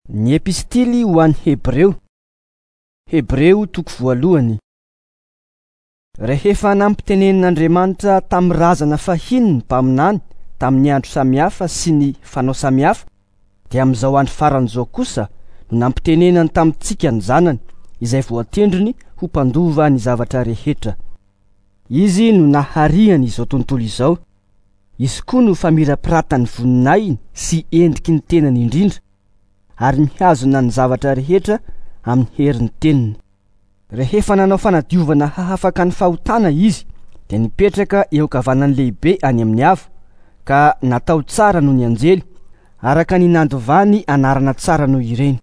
Ny Epistily ho an'ny Hebreo. Hebreo toko voalohany. Rehefa nampitenenin'Andriamanitra tamin'ny razana fahiny ny mpaminany tamin'ny andro samihafa sy ny fanao samihafa, dia amin'izao andro farany izao kosa no nampitenenany tamintsika ny Zanany, izay voatendriny ho mpandova ny zavatra rehetra. Izy no nahariany izao tontolo izao. Izy koa no famirapiratan'ny voninahiny sy endriky ny tenany indrindra, ary mihazona ny zavatra rehetra amin'ny herin'ny teniny. Rehefa nanao fanadiovana hahafaka ny fahotana izy, dia nipetraka eo ankavanan'ny lehibe any amin'ny avo, ka natao tsara noho ny anjely, araka ny nandovany anarana tsara noho ireny.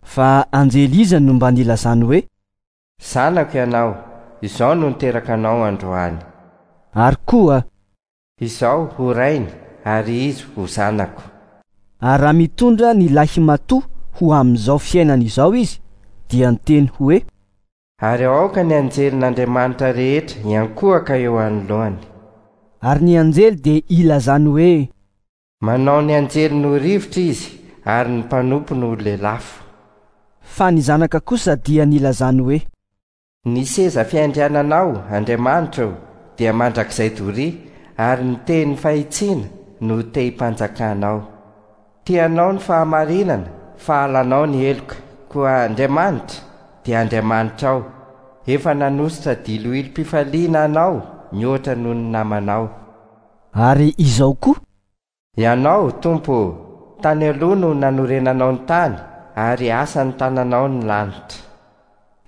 Fa anjely iza no mba nilazany hoe. Zanako ianao, izao no niteraka anao androany. Ary koa. Izaho ho rainy ary izy ho zanako. Ary raha mitondra ny lahimatoa ho amin'izao fiainana izao izy, dia niteny hoe. Ary aoka ny anjelin'Andriamanitra rehetra hiankohoka eo anoloany. Ary ny anjely dia ilazany hoe. Manao ny anjeliny ho rivotra izy ary ny mpanompony ho lelafo. Fa ny Zanaka kosa dia nilazany hoe. Ny seza fiandriananao, Andriamanitra ô, dia mandrakizay doria, ary ny tehin'ny fahitsiana no tehim-panjakanao. Tianao ny fahamarinana, fa halanao ny heloka. Koa Andriamanitra, dia Andriamanitrao, efa nanosotra diloilom-pifaliana anao mihoatra noho ny namanao. Ary izao koa. Ianao, Tompo ô, tany aloha no nanorenanao ny tany, ary asan'ny tananao ny lanitra.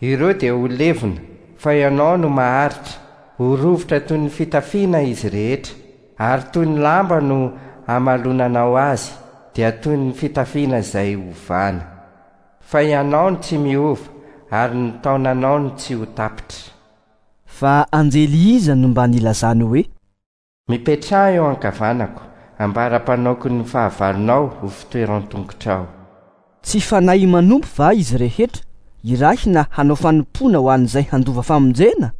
Ireo dia ho levona, fa Ianao no maharitra, ho rovitra toy ny fitafiana izy rehetra, ary toy ny lamba no hamalonanao azy, dia toy ny fitafiana izay hovana. Fa Ianao no tsy miova, ary ny taonanao no tsy ho tapitra. Fa anjely iza no mba nilazany hoe. Mipetraha eo ankavanako, ambara-panaoko ny fahavalonao ho fitoeran-tongotrao. Tsy fanahy manompo va izy rehetra, irahina hanao fanompoana ho an'izay handova famonjena?